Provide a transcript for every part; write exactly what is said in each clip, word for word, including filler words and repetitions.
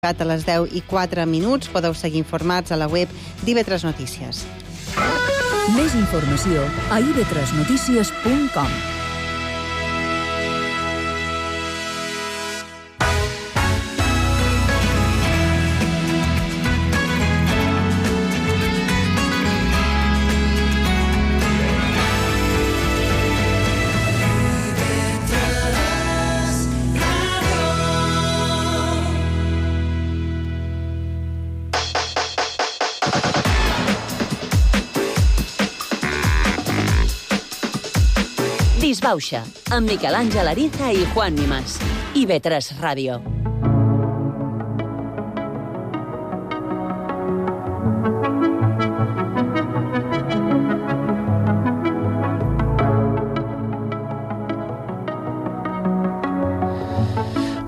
A les deu i quatre minuts podeu seguir informats a la web d'I V tres Notícies. Més informació a i ve tres notícies punt com. Disbauxa, amb Miquel Àngel Ariza i Juan Nimas. I ve tres Ràdio.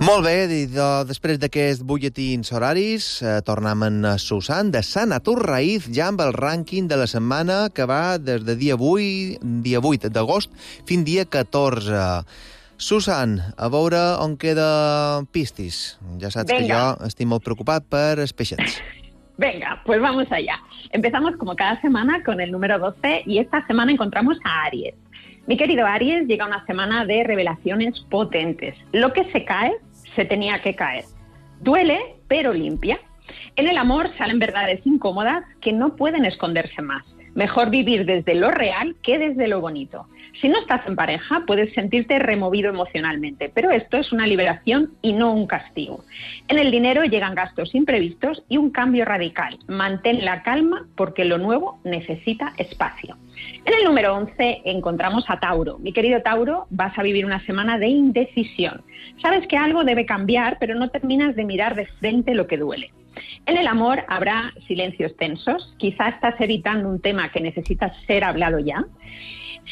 Molt bé, després d'aquests butlletins horaris, eh, tornem en Susan de Sant Atur Raïz, ja amb el rànquing de la setmana que va des de dia vuit, dia vuit d'agost fins dia catorze. Susan, a veure on queda Pistis. Ja saps Venga. que jo estic molt preocupat per els peixets. Venga, pues vamos allá. Empezamos como cada semana con el número doce y esta semana encontramos a Aries. Mi querido Aries, llega una semana de revelaciones potentes. Lo que se cae, se tenía que caer. Duele, pero limpia. En el amor salen verdades incómodas que no pueden esconderse más. Mejor vivir desde lo real que desde lo bonito. Si no estás en pareja, puedes sentirte removido emocionalmente, pero esto es una liberación y no un castigo. En el dinero llegan gastos imprevistos y un cambio radical. Mantén la calma porque lo nuevo necesita espacio. En el número once encontramos a Tauro. Mi querido Tauro, vas a vivir una semana de indecisión. Sabes que algo debe cambiar, pero no terminas de mirar de frente lo que duele. En el amor habrá silencios tensos. Quizá estás evitando un tema que necesita ser hablado ya.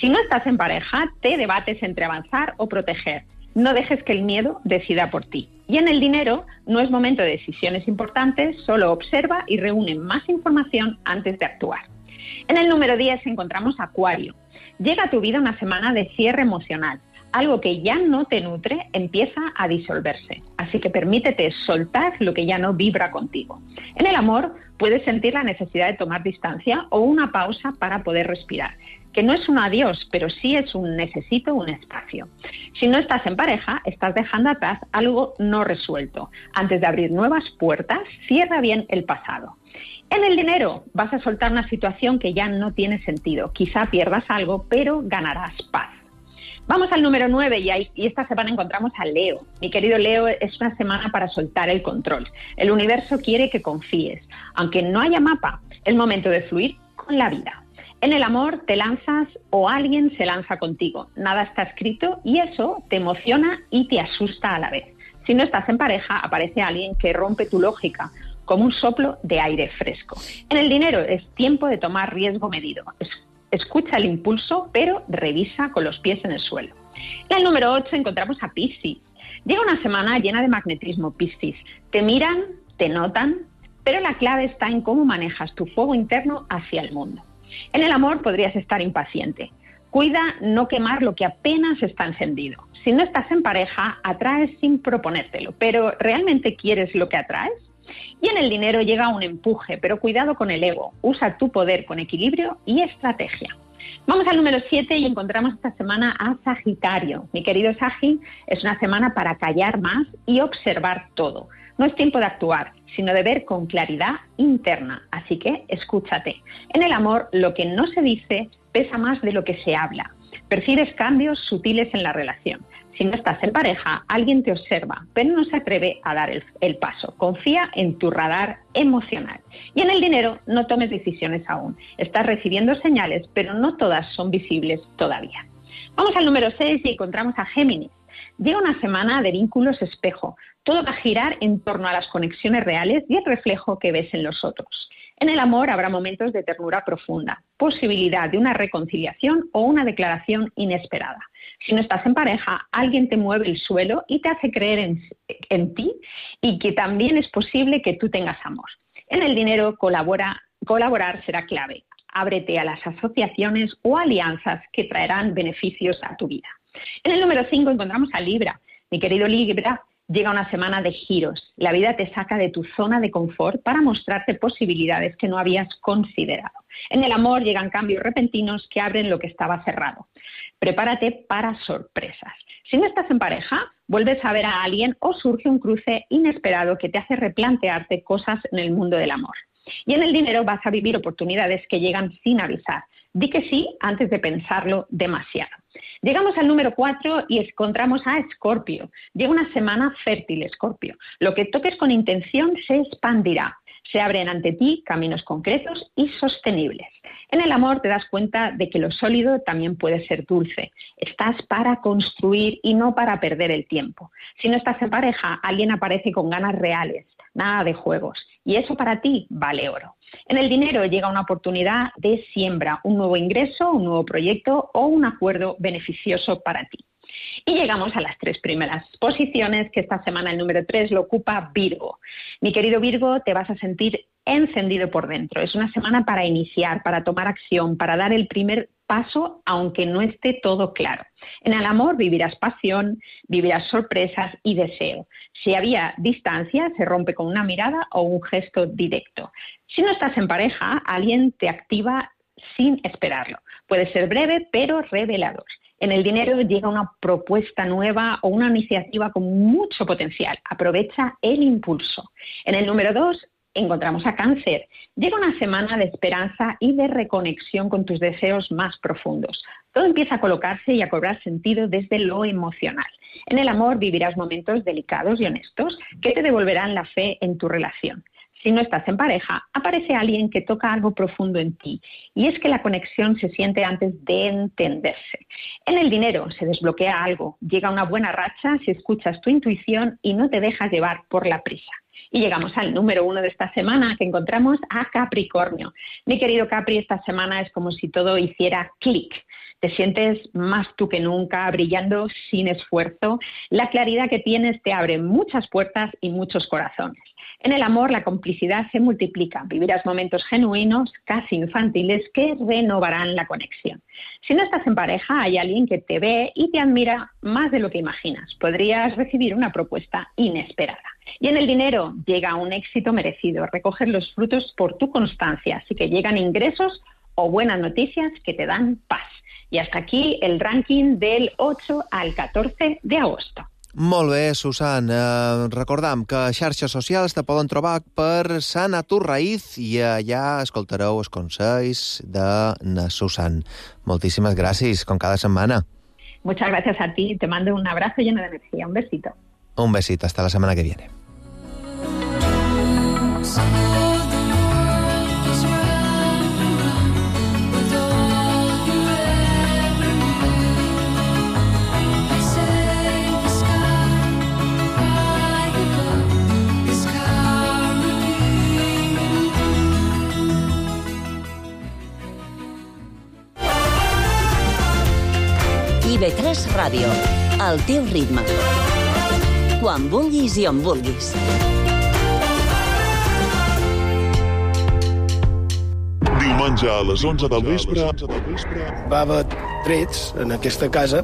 Si no estás en pareja, te debates entre avanzar o proteger. No dejes que el miedo decida por ti. Y en el dinero, no es momento de decisiones importantes, solo observa y reúne más información antes de actuar. En el número diez encontramos a Acuario. Llega a tu vida una semana de cierre emocional. Algo que ya no te nutre empieza a disolverse. Así que permítete soltar lo que ya no vibra contigo. En el amor puedes sentir la necesidad de tomar distancia o una pausa para poder respirar. Que no es un adiós, pero sí es un necesito un espacio. Si no estás en pareja, estás dejando atrás algo no resuelto. Antes de abrir nuevas puertas, cierra bien el pasado. En el dinero vas a soltar una situación que ya no tiene sentido. Quizá pierdas algo, pero ganarás paz. Vamos al número nueve y, ahí, y esta semana encontramos a Leo. Mi querido Leo, es una semana para soltar el control. El universo quiere que confíes. Aunque no haya mapa, es momento de fluir con la vida. En el amor te lanzas o alguien se lanza contigo. Nada está escrito y eso te emociona y te asusta a la vez. Si no estás en pareja, aparece alguien que rompe tu lógica, como un soplo de aire fresco. En el dinero es tiempo de tomar riesgo medido. Escucha el impulso, pero revisa con los pies en el suelo. En el número ocho encontramos a Piscis. Llega una semana llena de magnetismo, Piscis. Te miran, te notan, pero la clave está en cómo manejas tu fuego interno hacia el mundo. En el amor podrías estar impaciente. Cuida no quemar lo que apenas está encendido. Si no estás en pareja, atraes sin proponértelo, pero ¿realmente quieres lo que atraes? Y en el dinero llega un empuje, pero cuidado con el ego. Usa tu poder con equilibrio y estrategia. Vamos al número siete y encontramos esta semana a Sagitario. Mi querido Sagi, es una semana para callar más y observar todo. No es tiempo de actuar, sino de ver con claridad interna. Así que escúchate. En el amor, lo que no se dice pesa más de lo que se habla. Percibes cambios sutiles en la relación. Si no estás en pareja, alguien te observa, pero no se atreve a dar el, el paso. Confía en tu radar emocional. Y en el dinero, no tomes decisiones aún. Estás recibiendo señales, pero no todas son visibles todavía. Vamos al número seis y encontramos a Géminis. Llega una semana de vínculos espejo. Todo va a girar en torno a las conexiones reales y el reflejo que ves en los otros. En el amor habrá momentos de ternura profunda, posibilidad de una reconciliación o una declaración inesperada. Si no estás en pareja, alguien te mueve el suelo y te hace creer en, en ti y que también es posible que tú tengas amor. En el dinero, colabora, colaborar será clave. Ábrete a las asociaciones o alianzas que traerán beneficios a tu vida. En el número cinco encontramos a Libra. Mi querido Libra, llega una semana de giros. La vida te saca de tu zona de confort para mostrarte posibilidades que no habías considerado. En el amor llegan cambios repentinos que abren lo que estaba cerrado. Prepárate para sorpresas. Si no estás en pareja, vuelves a ver a alguien o surge un cruce inesperado que te hace replantearte cosas en el mundo del amor. Y en el dinero vas a vivir oportunidades que llegan sin avisar. Di que sí antes de pensarlo demasiado. Llegamos al número cuatro y encontramos a Escorpio. Llega una semana fértil, Escorpio. Lo que toques con intención se expandirá. Se abren ante ti caminos concretos y sostenibles. En el amor te das cuenta de que lo sólido también puede ser dulce. Estás para construir y no para perder el tiempo. Si no estás en pareja, alguien aparece con ganas reales, nada de juegos. Y eso para ti vale oro. En el dinero llega una oportunidad de siembra, un nuevo ingreso, un nuevo proyecto o un acuerdo beneficioso para ti. Y llegamos a las tres primeras posiciones, que esta semana el número tres lo ocupa Virgo. Mi querido Virgo, te vas a sentir encendido por dentro. Es una semana para iniciar, para tomar acción, para dar el primer paso, aunque no esté todo claro. En el amor vivirás pasión, vivirás sorpresas y deseo. Si había distancia, se rompe con una mirada o un gesto directo. Si no estás en pareja, alguien te activa sin esperarlo. Puede ser breve, pero revelador. En el dinero llega una propuesta nueva o una iniciativa con mucho potencial. Aprovecha el impulso. En el número dos encontramos a Cáncer. Llega una semana de esperanza y de reconexión con tus deseos más profundos. Todo empieza a colocarse y a cobrar sentido desde lo emocional. En el amor vivirás momentos delicados y honestos que te devolverán la fe en tu relación. Si no estás en pareja, aparece alguien que toca algo profundo en ti. Y es que la conexión se siente antes de entenderse. En el dinero se desbloquea algo. Llega una buena racha si escuchas tu intuición y no te dejas llevar por la prisa. Y llegamos al número uno de esta semana, que encontramos a Capricornio. Mi querido Capri, esta semana es como si todo hiciera clic. Te sientes más tú que nunca, brillando sin esfuerzo. La claridad que tienes te abre muchas puertas y muchos corazones. En el amor la complicidad se multiplica. Vivirás momentos genuinos, casi infantiles, que renovarán la conexión. Si no estás en pareja, hay alguien que te ve y te admira más de lo que imaginas. Podrías recibir una propuesta inesperada. Y en el dinero llega un éxito merecido. Recoger los frutos por tu constancia. Así que llegan ingresos o buenas noticias que te dan paz. Y hasta aquí el ranking del ocho al catorce de agosto. Molt bé, Susan. Eh, recordam que a xarxes socials te poden trobar per Sana Tu Raïz i allà escoltareu els consells de na Susan. Moltíssimes gràcies, com cada setmana. Muchas gracias a ti. Te mando un abrazo lleno de energía. Un besito. Un besito. Hasta la semana que viene. I ve tres Ràdio, al teu ritme. Quan vulguis i on vulguis. Diumenge a les onze del vespre va haver trets en aquesta casa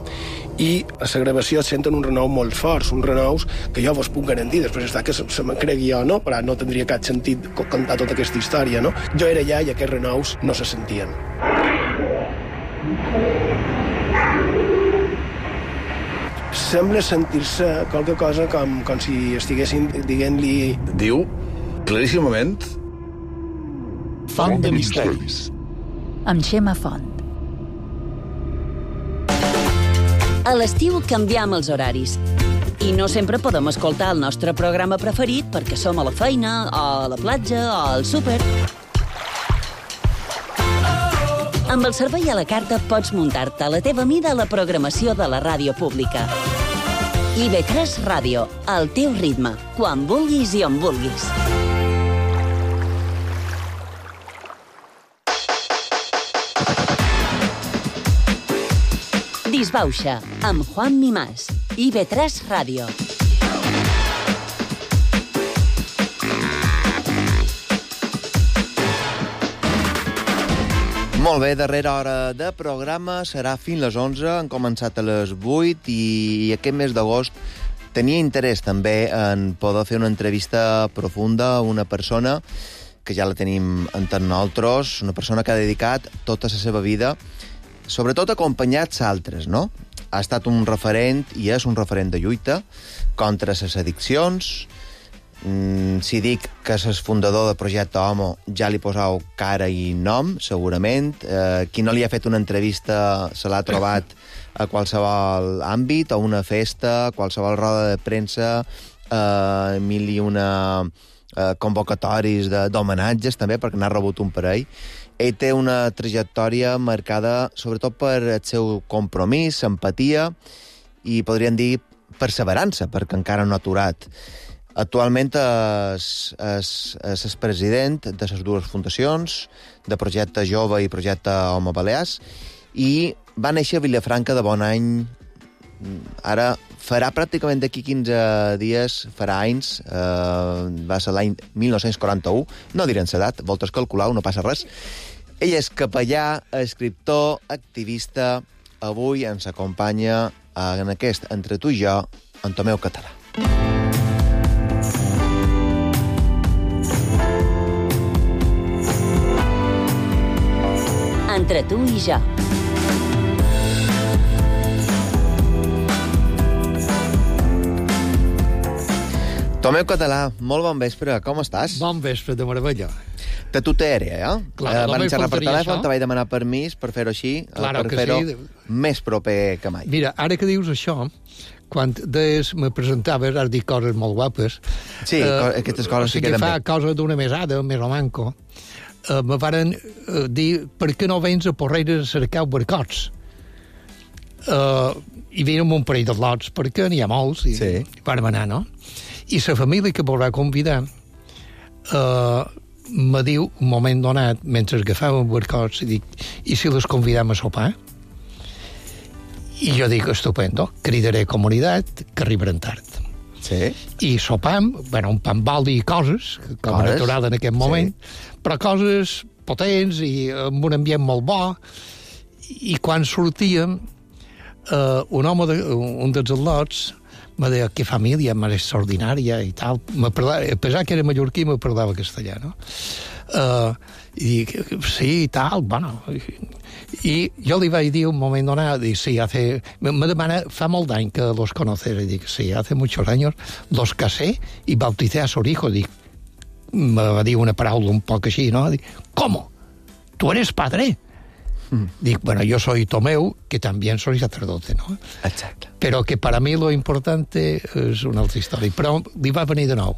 i a la gravació es senten uns renous molt forts, uns renous que jo vos puc garantir, després està que se, se me cregui jo, no? Però no tindria cap sentit contar tota aquesta història, no? Jo era allà i aquests renous no se sentien. Sembla sentir-se qualque cosa com, com si estiguessin dient-li... Diu, claríssimament... Font de misteris. Amb Xema Font. A l'estiu canviem els horaris. I no sempre podem escoltar el nostre programa preferit perquè som a la feina, o a la platja, o al súper. Amb el servei a la carta pots muntar-te a la teva mida la programació de la ràdio pública. I ve tres Ràdio, al teu ritme, quan vulguis i on vulguis. Disbauxa, amb Juan Mimàs. I ve tres Ràdio. Molt bé, darrera hora de programa serà fins les onze, han començat a les vuit i aquest mes d'agost tenia interès també en poder fer una entrevista profunda a una persona que ja la tenim entre nosaltres, una persona que ha dedicat tota la seva vida, sobretot acompanyats altres, no? Ha estat un referent, i és un referent de lluita, contra les addiccions. Mm, si dic que és fundador del projecte Homo, ja li posau cara i nom, segurament. Eh, qui no li ha fet una entrevista se l'ha trobat a qualsevol àmbit, a una festa, a qualsevol roda de premsa, eh, mil i una eh, convocatoris d'homenatges, també, perquè n'ha rebut un parell. Ell té una trajectòria marcada sobretot per el seu compromís, empatia i, podríem dir, perseverança, perquè encara no ha aturat. Actualment és, és, és el president de les dues fundacions, de Projecte Jove i Projecte Home Balears, i va néixer a Vilafranca de Bonany. Ara farà pràcticament d'aquí quinze dies, farà anys, eh, va ser l'any mil nou-cents quaranta-u, no direm l'edat, voltes calcular, no passa res. Ell és capellà, escriptor, activista. Avui ens acompanya en aquest Entre tu i jo, en Tomeu Català. Entre tu i jo. Tomeu Català, molt bon vespre, com estàs? Bon vespre, de meravella. De tutera, eh? Clar, eh, no van me xerrar per faltaria telèfon, això. te vaig demanar permís per fer-ho així, Claro per que fer-ho sí. més proper que mai. Mira, ara que dius això, quan des me presentaves, has dit coses molt guapes. Sí, co- aquestes coses o sigui, sí queden fa bé. cosa d'una mesada, més o manco, eh, me varen eh, dir per què no vens a Porreres a cercar barcots? Uh, I venen un parell de lots, perquè n'hi ha molts, i Sí. vàrem anar, no? I la família que volrà convidar uh, me diu, un moment donat, mentre agafàvem barcots, i dic, i si les convidam a sopar? I jo dic, estupendo, cridaré comunitat, que arribaran tard. Sí. I sopam, bueno, un pan baldi i coses, com Coses, a natural en aquest moment, sí. però coses potents i amb un ambient molt bo. I quan sortíem, eh, un home, de, un dels al·lots, me deia, que família més extraordinària i tal. Me parlava, a pesar que era mallorquí, me parlava castellà, no? Uh, I dic, sí, i tal, bueno... I jo li vaig dir un moment donat, dic, sí, hace... Me demana, fa molt d'any que los conoces, i dic, sí, hace muchos años los casé y bauticé a su hijo, dic, me va dir una paraula un poc així, no? Dic, ¿cómo? ¿Tú eres padre? Mm. Dic, bueno, yo soy Tomeu, que también soy sacerdote, ¿no? Exacte. Pero que para mí lo importante és una altra història. Però li va venir de nou.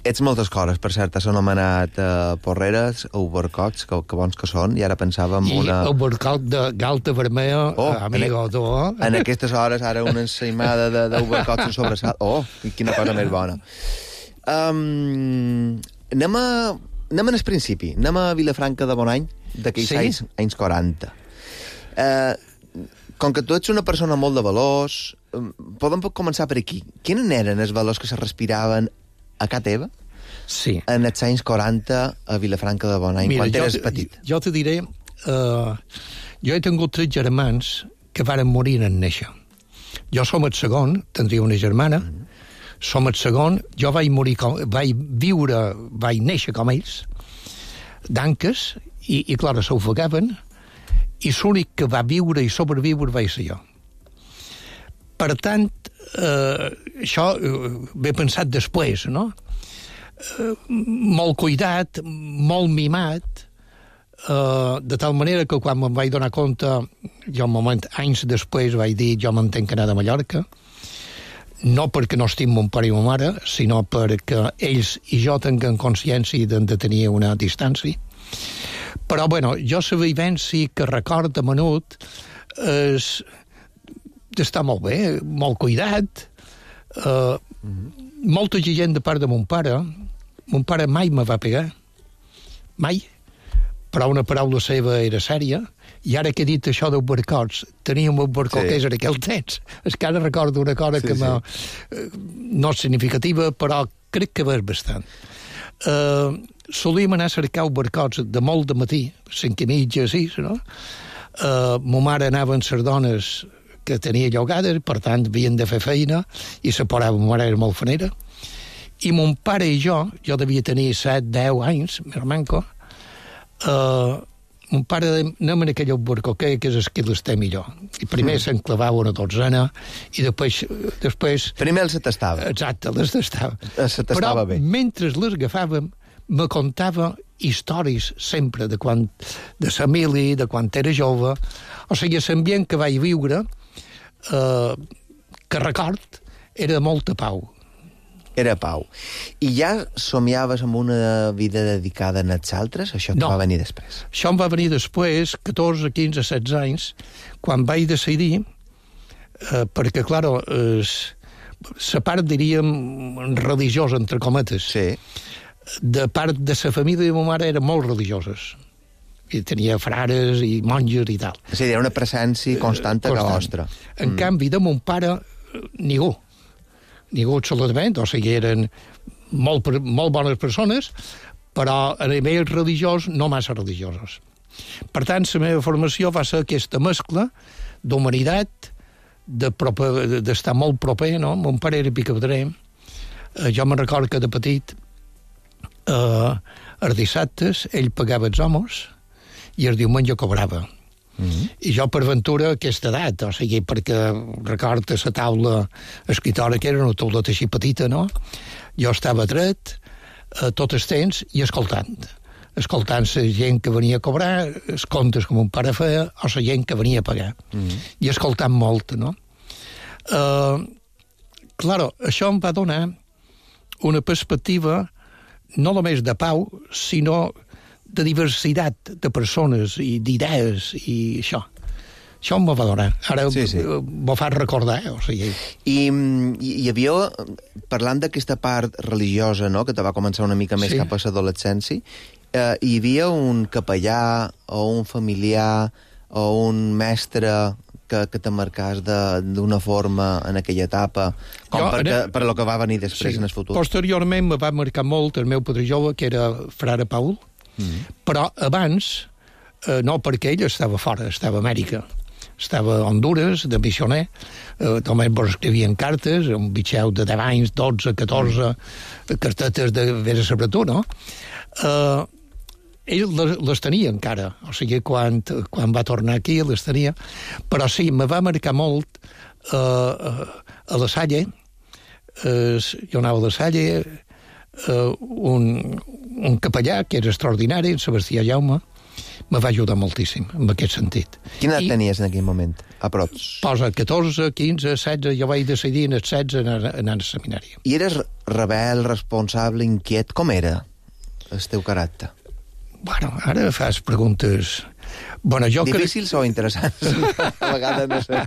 Ets moltes coses, per cert, has anomenat uh, Porreres, Ubercots, que, que bons que són, i ara pensava en I una... el barcot de Galta Vermella, Oh, amigo, en, tu, eh? en aquestes hores, ara una ensaïmada d'Ubercots en sobresalt. Oh, quina cosa més bona. Um, anem, a, anem al principi, anem a Vilafranca de Bonany, d'aquells Sí? anys, anys quaranta. Uh, com que tu ets una persona molt de valors, um, podem començar per aquí. Quins eren els valors que se respiraven a casa teva Sí. en els anys quaranta a Vilafranca de Bonany, quan jo, eres te- petit? Jo te diré, uh, jo he tingut tres germans que varen morir en néixer. Jo som el segon, tindria una germana, mm. som el segon, jo vaig morir, com, vaig viure, vaig néixer com ells, d'anques, i, i clar, s'ofegaven, i l'únic que va viure i sobreviure vaig ser jo. Per tant, eh, això eh, m'he pensat després, no? Eh, molt cuidat, molt mimat, eh, de tal manera que quan me'n vaig donar compte, jo un moment, anys després, vaig dir, jo m'entenc que anar de Mallorca, no perquè no estim mon pare i ma mare, sinó perquè ells i jo tinguem consciència de, de tenir una distància. Però, bueno, jo la vivència que record de menut és d'estar molt bé, molt cuidat, uh, mm-hmm. molta gent de part de mon pare. Mon pare mai me va pegar, mai, però una paraula seva era sèria, i ara que he dit això dels barcots, teníem un barcó Sí. que és en aquell temps, és que ara recordo una cosa Sí, que sí. me, no és significativa, però crec que és bastant. Uh, solíem anar a cercar barcots de molt de matí, cinc i mitja, sis, no? Uh, ma mare anava amb les dones que tenia llogades, per tant, havien de fer feina, i se parava, ma mare era molt fanera, i mon pare i jo, jo devia tenir set, deu anys, més manco, eh, mon pare anem en aquell barcoquer que és el que l'esté millor. I primer mm. s'enclavava una dotzena, i després... després primer els tastava. Exacte, les tastava. Se tastava bé. Però mentre les agafàvem, me contava històries sempre de quan de sa mili, de quan era jove. O sigui, l'ambient que vaig viure, eh, que record, era de molta pau. Era pau. I ja somiaves amb una vida dedicada a els altres? Això no. va venir després? Això em va venir després, catorze, quinze, setze anys, quan vaig decidir, eh, perquè, clar, eh, la part, diríem, religiosa, entre cometes, sí. de part de la família de ma mare eren molt religioses. I tenia frares i monges i tal. És a dir, era una presència constant a la vostra. En mm. canvi, de mon pare, ningú. Ningú absolutament, o sigui, eren molt, molt bones persones, però a nivell religiós no massa religiosos. Per tant, la meva formació va ser aquesta mescla d'humanitat, d'estar de molt proper, no? Mon pare era picapedrer. Eh, jo me'n record que de petit, eh, els dissabtes, ell pagava els homes i el diumenge cobrava. Mm-hmm. I jo, per ventura, aquesta edat, o sigui, perquè recorda la taula escritora, que era una tauleta així petita, no? Jo estava dret, eh, tot el temps, i escoltant. Escoltant la gent que venia a cobrar, els comptes que mon pare feia, o la gent que venia a pagar. Mm-hmm. I escoltant molt, no? Eh, claro, això em va donar una perspectiva no només de pau, sinó de diversitat de persones i d'idees i això. Això em va donar. Ara sí, sí. m'ho fa recordar. O sigui. I hi havia, parlant d'aquesta part religiosa, no?, que te va començar una mica més sí. cap a l'adolescència, eh, hi havia un capellà o un familiar o un mestre que, que te marcàs d'una forma en aquella etapa, com jo, perquè, en... per lo que va venir després sí. en el futur? Posteriorment me va marcar molt el meu padrí jove, que era frare Paul, mm. però abans, eh, no perquè ell estava fora, estava a Amèrica, estava a Honduras, de missioner, eh, només vos escrivien cartes, un bitxeu de deu anys, dotze, catorze, mm. cartetes de vés a saber tu, no? Eh, ell les, les tenia encara, o sigui, quan, quan va tornar aquí les tenia, però sí, me va marcar molt eh, a la Salle, eh, jo anava a la Salle, eh, un, un capellà que era extraordinari, Sebastià Jaume, me va ajudar moltíssim en aquest sentit. Quina edat I, tenies en aquell moment, a props? Posa catorze, quinze, setze, jo vaig decidir en els setze anar, anar al seminari. I eres rebel, responsable, inquiet? Com era el teu caràcter? Bueno, ara fas preguntes... Bueno, jo difícils crec... o interessants? A vegades no sé.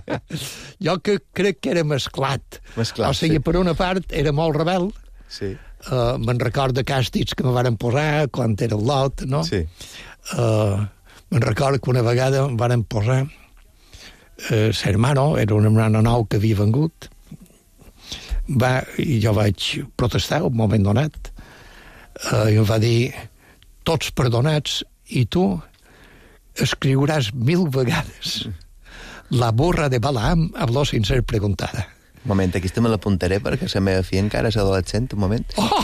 Jo que crec que era mesclat. Mesclat, o sigui, sí. per una part era molt rebel. Sí. Uh, me'n record de càstigs que me varen posar quan era el lot, no? Sí. Uh, me'n record que una vegada em varen posar uh, l'hermano, era un hermano nou que havia vengut, va, i jo vaig protestar un moment donat, uh, i em va dir... tots perdonats, i tu escriuràs mil vegades la burra de Balaam habló sin ser preguntada. Un moment, aquí me l'apuntaré perquè la meva filla encara és adolescent, un moment. Oh!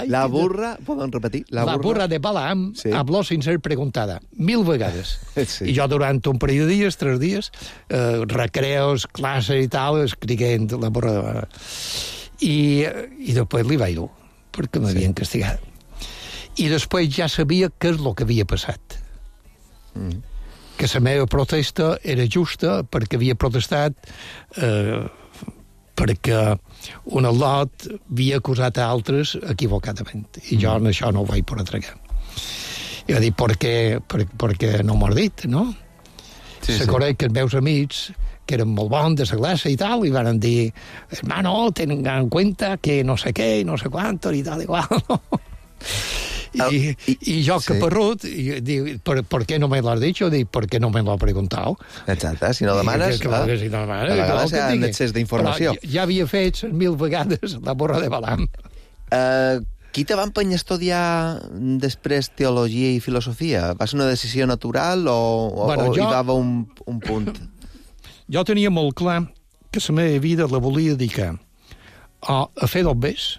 La burra, poden repetir? La, la burra... burra de Balaam sí. habló sin ser preguntada, mil vegades. Sí. I jo durant un parell de dies, tres dies, eh, recreos, classes i tal, escriguent la burra de Balaam. I, i després li vaig dur, perquè m'havien sí. castigat. I després ja sabia què és el que havia passat. Mm. Que la meva protesta era justa perquè havia protestat eh, perquè un al·lot havia acusat a altres equivocadament. I jo en això no ho vaig poder tragar. I va dir, per què, per, perquè no m'ho has dit, no? Sí, se coneix sí. que els meus amics, que eren molt bons de la classe i tal, i van dir, hermano, ten en cuenta que no sé què, no sé quanto, i tal, igual, no? I, i, i jo que sí. perrut i dic, per, per què no me l'has dit? Jo dic, per què no me l'ha preguntat? Exacte, si no demanes, que, que, si no demanes a vegades hi ha un excés d'informació. Ja, ja havia fet mil vegades la burra de Balaam. Uh, qui te va empenyar a estudiar després teologia i filosofia? Va ser una decisió natural o, o, bueno, o jo... hi va haver un, un punt? Jo tenia molt clar que la meva vida la volia dedicar a, a fer dobbers.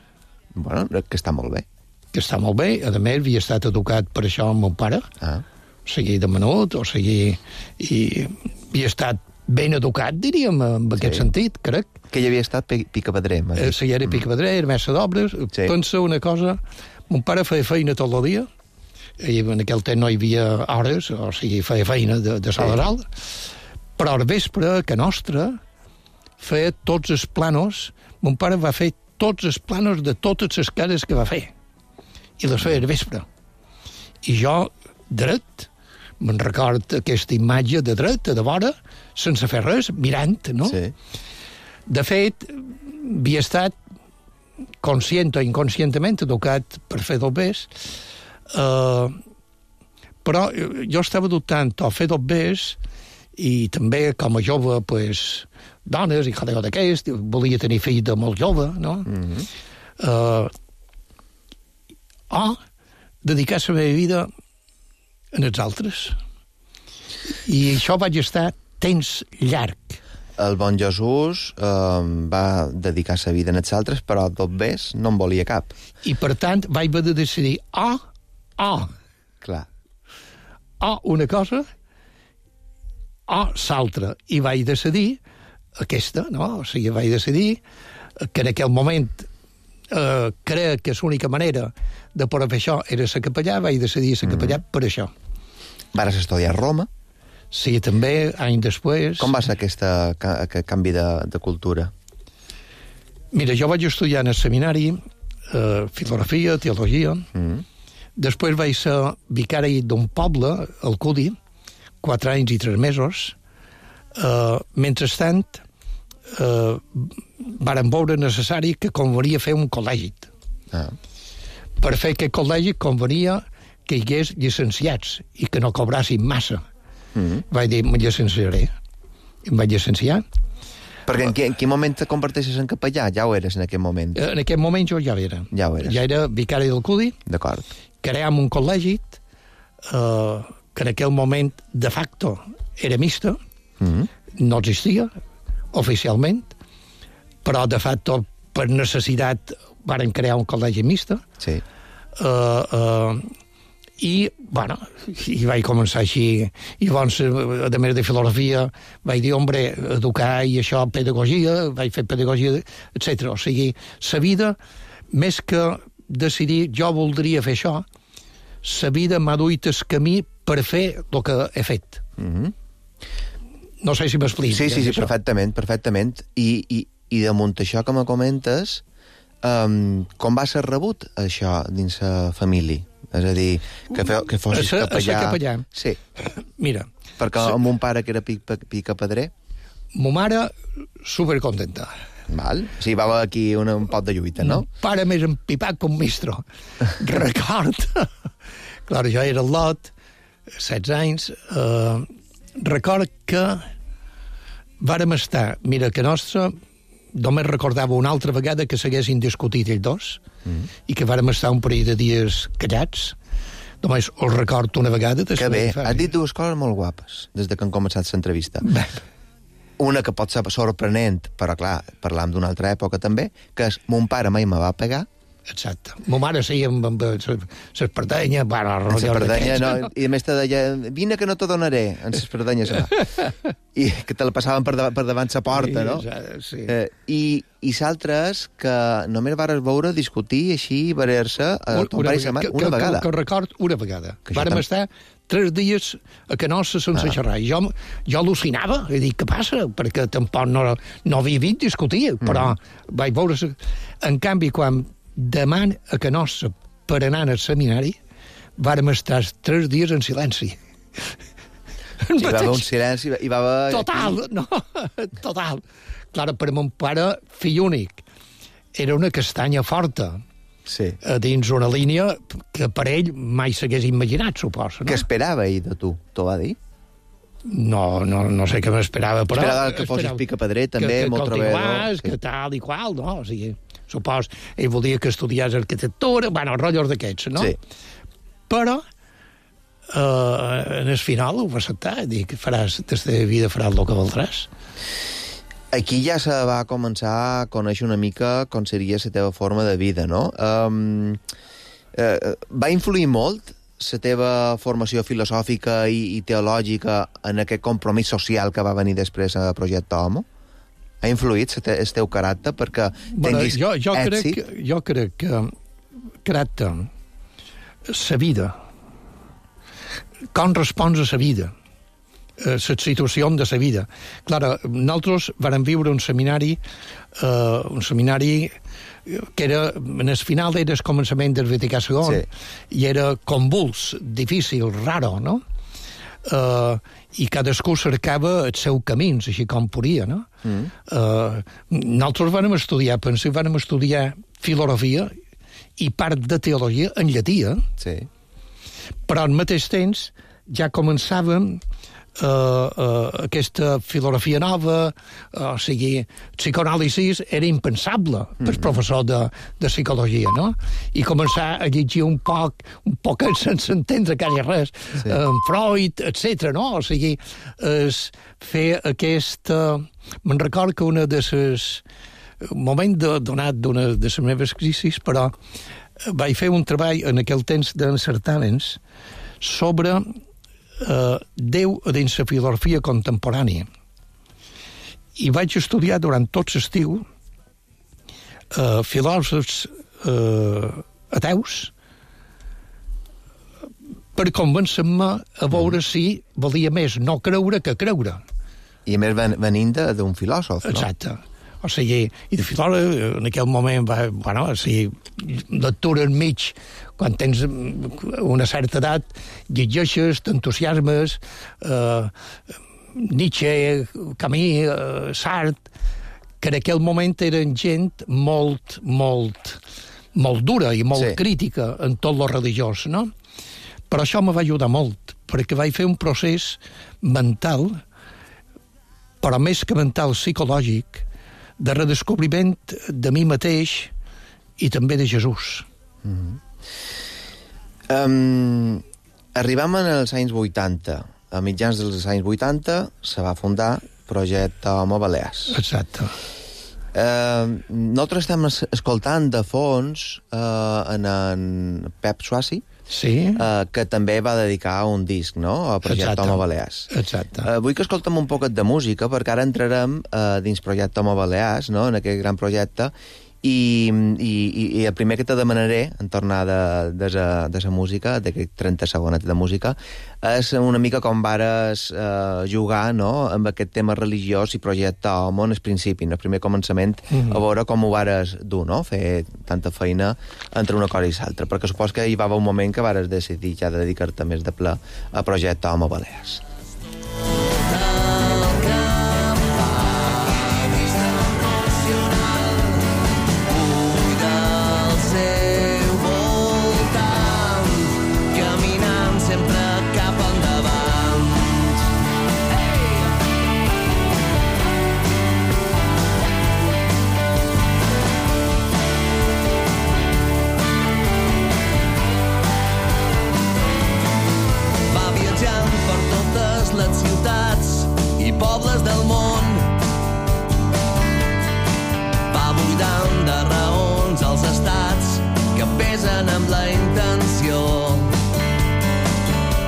Bueno, que està molt bé. Que està molt bé. A més, havia estat educat per això amb mon pare. Ah. O sigui, de menut, o sigui... I havia estat ben educat, diríem, en aquest Sí. sentit, crec. Que hi havia estat pi- picapedrer. m'has Eh, dit. Si era picapedrer, era mestre d'obres. Sí. Pensa una cosa, mon pare feia feina tot el dia, i en aquell temps no hi havia hores, o sigui, feia feina de, de sala dalt, però al vespre, que nostra, feia tots els planos, mon pare va fer tots els planos de totes les cases que va fer, i les feia al vespre. I jo, dret, me'n record aquesta imatge de dret, de vora, sense fer res, mirant, no? Sí. De fet, havia estat conscient o inconscientment educat per fer dobbers, eh, però jo estava dubtant o fer dobbers i també com a jove, pues, dones i jaleo d'aquest, volia tenir fill de molt jove, no? Mm-hmm. eh, o dedicar la meva vida en els altres. I això vaig estar temps llarg. El bon Jesús eh, va dedicar sa vida en els altres, però dobbers no en volia cap. I, per tant, vaig haver de decidir o, o, Clar. o una cosa o l'altra. I vaig decidir aquesta, no? O sigui, vaig decidir que en aquell moment eh, crec que l'única manera de poder fer això era ser capellà, vaig decidir ser capellà mm. per això. Vares estudiar a Roma. Sí, també, anys després... Com va ser aquesta, aquest canvi de, de cultura? Mira, jo vaig estudiar en el seminari eh, filosofia, teologia. Mm. Després vaig ser vicari d'un poble, el Cudi, quatre anys i tres mesos. Uh, mentrestant, uh, varen veure necessari que convenia fer un col·legi. Ah. Per fer aquest col·legi convenia que hi hagués llicenciats i que no cobrassin massa. Mm. Vaig dir, me llicenciaré. I em vaig llicenciar. Perquè en, qui, en quin moment te converteixes en capellà? Ja ho eres en aquest moment. En aquest moment jo ja era. Ja ho eres. Ja era vicari del Cudi. D'acord. Creàvem un col·legi eh, que en aquell moment de facto era mixta, Mm. no existia oficialment, però de facto per necessitat varen crear un col·legi mixta. Sí. Uh, uh, i, bueno, i vaig començar així, i llavors, a més de filosofia, vaig dir, hombre, educar i això, pedagogia, vaig fer pedagogia, etcètera. O sigui, la vida, més que decidir, jo voldria fer això, la vida m'ha duit el camí per fer el que he fet. Mm-hmm. No sé si m'explico. Sí, sí, sí, això. perfectament, perfectament. I, i, i damunt això que me comentes, um, com va ser rebut això dins la família? És a dir, que, fe, que fossis a ser, capellà... A ser capellà. Sí. Mira. Perquè ser... amb un pare que era pic, picapedrer... Mo mare, supercontenta. Val? O sigui, va haver aquí un, un pot de lluita, no? Un pare més empipat que un mistro. Record. Clar, jo era el lot, setze anys, eh, record que vàrem estar, mira, que nostre, només recordava una altra vegada que s'haguessin discutit ells dos, mm. i que vàrem estar un parell de dies callats. Només us recordo una vegada. Que bé, has dit dues coses molt guapes des de que hem començat l'entrevista. Una que pot ser sorprenent, però clar, parlam d'una altra època també, que és mon pare mai me va pegar. Exacte. Mo mare sí, amb, amb l'espardenya, bueno, amb l'espardenya, no, i a més te deia, vine que no te donaré, amb l'espardenya se va. I que te la passaven per, davant, per davant sa porta, no? Sí. Eh, I i s'altre és que només vares veure discutir així, veure-se a ton pare i sa mare una vegada. Que, que record una vegada. Vàrem estar tres dies a Canossa sense ah. xerrar. I jo, jo al·lucinava, i dic, què passa? Perquè tampoc no, no havia vist discutir, però mm. vaig veure... En canvi, quan deman a Canossa per anar al seminari, vàrem estar tres dies en silenci. Sí, hi va haver un silenci, hi va haver... Total, no, total. Clar, per mon pare, fill únic, era una castanya forta. Sí. A dins una línia que per ell mai s'hagués imaginat, suposo. No? Què esperava ell de tu? T'ho va dir? No, no, no sé què m'esperava, però... Esperava que fossis picapedrer, també, que, molt treballador. Que tal i qual, no? O sigui, supos, ell volia que estudiés arquitectura, bueno, rotllos d'aquests, no? Sí. Però Uh, en el final ho va acceptar, dic, faràs, des de vida faràs el que voldràs. Aquí ja se va començar a conèixer una mica com seria la teva forma de vida, no? Um, uh, va influir molt la teva formació filosòfica i, i teològica en aquest compromís social que va venir després a Projecte Homo? Ha influït el te, teu caràcter perquè bueno, tinguis jo, jo èxit? Crec, jo crec que caràcter, la vida, com respons a la vida, a la situació de la vida. Clar, nosaltres vam viure un seminari, eh, un seminari que era, en el final era el començament del Vaticà segon, sí. I era convuls, difícil, raro, no? Uh, i cadascú cercava els seus camins, així com podia, no? Mm. Uh, nosaltres vam estudiar, penseu, vam estudiar filosofia i part de teologia en llatí, eh? Sí. Però al mateix temps ja començàvem uh, uh, aquesta filosofia nova, uh, o sigui, psicoanàlisi era impensable per mm-hmm. professor de, de psicologia, no? I començar a llegir un poc, un poc sense entendre quasi res, sí. uh, Freud, etcètera, no? O sigui, es fer aquest... Uh, me'n record que una de les... Un moment de, donat d'una de les meves crisis, però vaig fer un treball en aquell temps d'encertaments sobre eh, Déu dins la filosofia contemporània. I vaig estudiar durant tot l'estiu eh, filòsofs eh, ateus per convèncer-me a veure si valia més no creure que creure. I a més venint d'un filòsof, no? Exacte. O sigui, i de filòleg, en aquell moment, va, bueno, o sigui, lectura enmig, quan tens una certa edat, llegeixes, t'entusiasmes, eh, Nietzsche, Camus, eh, Sartre, que en aquell moment eren gent molt, molt, molt dura i molt sí. crítica en tot lo religiós, no? Però això me va ajudar molt, perquè vaig fer un procés mental, però més que mental, psicològic, de redescobriment de mi mateix i també de Jesús. Mm-hmm. um, arribam als anys vuitanta. A mitjans dels anys vuitanta se va fundar Projecte Homo Balears. Exacte. Uh, nosaltres estem escoltant de fons uh, en, en Pep Swassi, sí. uh, que també va dedicar un disc, no?, a Projecte Homo Balears. Exacte. Uh, vull que escoltem un poquet de música, perquè ara entrarem uh, dins Projecte Homo Balears, no?, en aquest gran projecte, i, i, i el primer que te demanaré, en tornar de, de, de, de la música, d'aquest trenta segonet de música, és una mica com vares eh, jugar, no?, amb aquest tema religiós i Projecte Homo en el principi, en el primer començament, mm-hmm. a veure com ho vares dur, no?, fer tanta feina entre una cosa i l'altra, perquè supos que hi va haver un moment que vares decidir ja de dedicar-te més de ple a Projecte Homo Balears. Pobles del món va buidant de raons els estats que pesen amb la intenció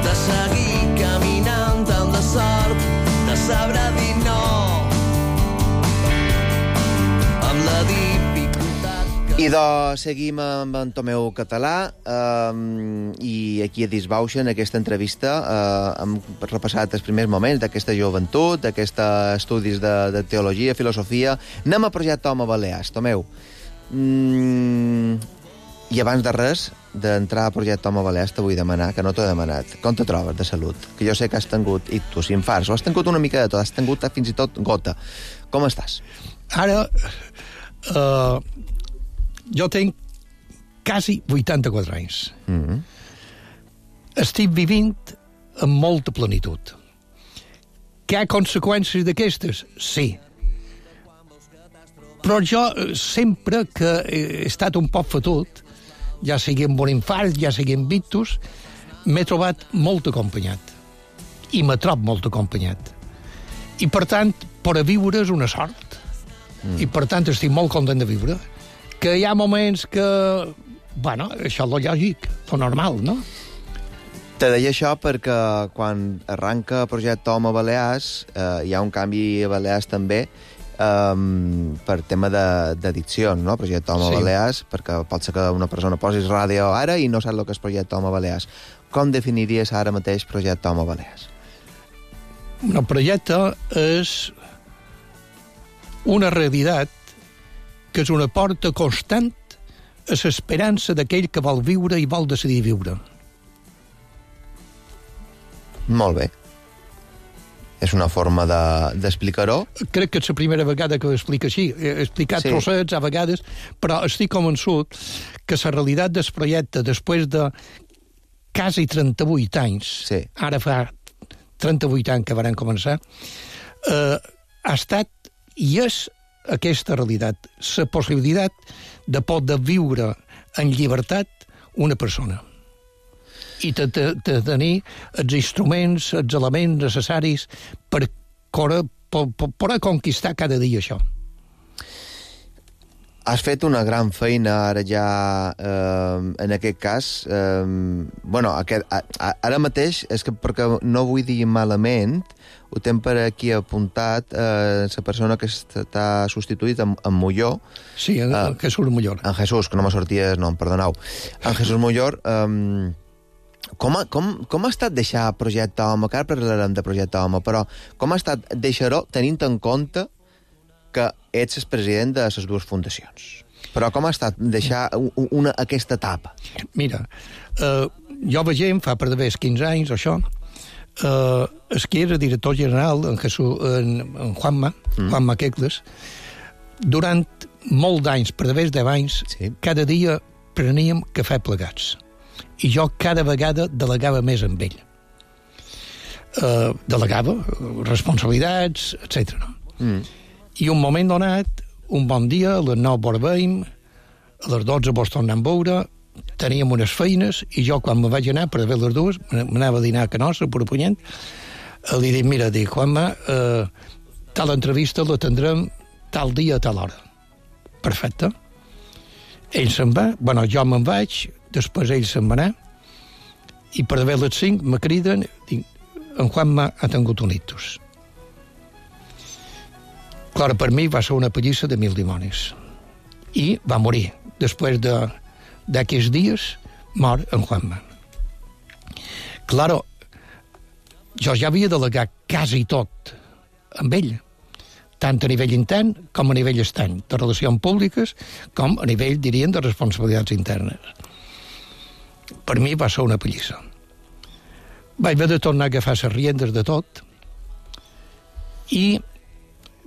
de seguir caminant amb la sort de saber dir no amb la dificultat que... I doncs seguim amb en Tomeu Català um, i aquí a Disbauxa, en aquesta entrevista, uh, hem repassat els primers moments d'aquesta joventut, d'aquests estudis de, de teologia, filosofia. Anem a Projecte Homo Balears. Tomeu, mm, i abans de res, d'entrar a Projecte Homo Balears, te vull demanar, que no t'ho he demanat, com te trobes de salut? Que jo sé que has tingut ictus, infarts, o has tingut una mica de tot, has tingut fins i tot gota. Com estàs? Ara... Uh... Jo tinc quasi vuitanta-quatre anys. Mm-hmm. Estic vivint amb molta plenitud. Que hi ha conseqüències d'aquestes? Sí. Però jo, sempre que he estat un poc fotut, ja sigui amb un infart, ja sigui amb ictus, m'he trobat molt acompanyat. I me trob molt acompanyat. I, per tant, per a viure és una sort. Mm. I, per tant, estic molt content de viure. Que hi ha moments que... Bueno, això és lo lògic, lo normal, no? Te deia això perquè quan arranca el projecte Home Balears, eh, hi ha un canvi a Balears també, um, per tema d'addiccions, no? Projecte Home sí. Balears, perquè pot ser que una persona posis ràdio ara i no sap el que és projecte Home Balears. Com definiries ara mateix projecte Home Balears? El projecte és una realitat que és una porta constant a l'esperança d'aquell que vol viure i vol decidir viure. Molt bé. És una forma d'explicar-ho. De, Crec que és la primera vegada que ho explico així. He explicat sí. trossets a vegades, però estic convençut que la realitat del projecte, després de quasi trenta-vuit anys, sí. ara fa trenta-vuit anys que van començar, eh, ha estat i és aquesta realitat, la possibilitat de poder viure en llibertat una persona i de, de, de tenir els instruments, els elements necessaris per, per, per, per conquistar cada dia això. Has fet una gran feina ara ja, eh, en aquest cas. Eh, bueno, aquest, a, a, ara mateix, és que perquè no vull dir malament, ho tenc per aquí apuntat, eh, la persona que està substituït en, en Molló. Sí, en, eh, en Jesús Mollor. En Jesús, que no me sortia el nom, perdoneu. En Jesús Mollor, eh, com, ha, com, com ha estat deixar Projecte Home? Que ara parlarem de Projecte Home, però com ha estat deixar-ho tenint en compte que ets el president de les dues fundacions? Però com ha estat deixar una, aquesta etapa? Mira, eh, jo veiem, fa per d'haver quinze anys, això, eh, el que era director general, en, Jesús, en, en Juanma, mm. Juanma Quecles, durant molt d'anys, per d'haver deu anys, sí. cada dia preníem cafè plegats. I jo cada vegada delegava més amb ell. Eh, delegava responsabilitats, etcètera. Mm. I un moment donat, un bon dia, a les nou vorbem, a les dotze vos tornem a veure, teníem unes feines, i jo, quan me vaig anar per a veure les dues, m'anava a dinar a Canossa, per Punyent, li dic, mira, dic, Juanma, eh, tal entrevista la tindrem tal dia a tal hora. Perfecte. Ell se'n va, bueno, jo me'n vaig, després ell se'n va anar, i per haver les cinc me criden, dic, en Juanma ha tingut un ictus. Clar, per mi va ser una pallissa de mil dimonis. I va morir. Després d'aquests dies, mor en Juanma. Claro, jo ja havia delegat quasi tot amb ell, tant a nivell intern com a nivell estany, de relacions públiques, com a nivell, diríem, de responsabilitats internes. Per mi va ser una pallissa. Vaig haver de tornar a agafar les riendes de tot, i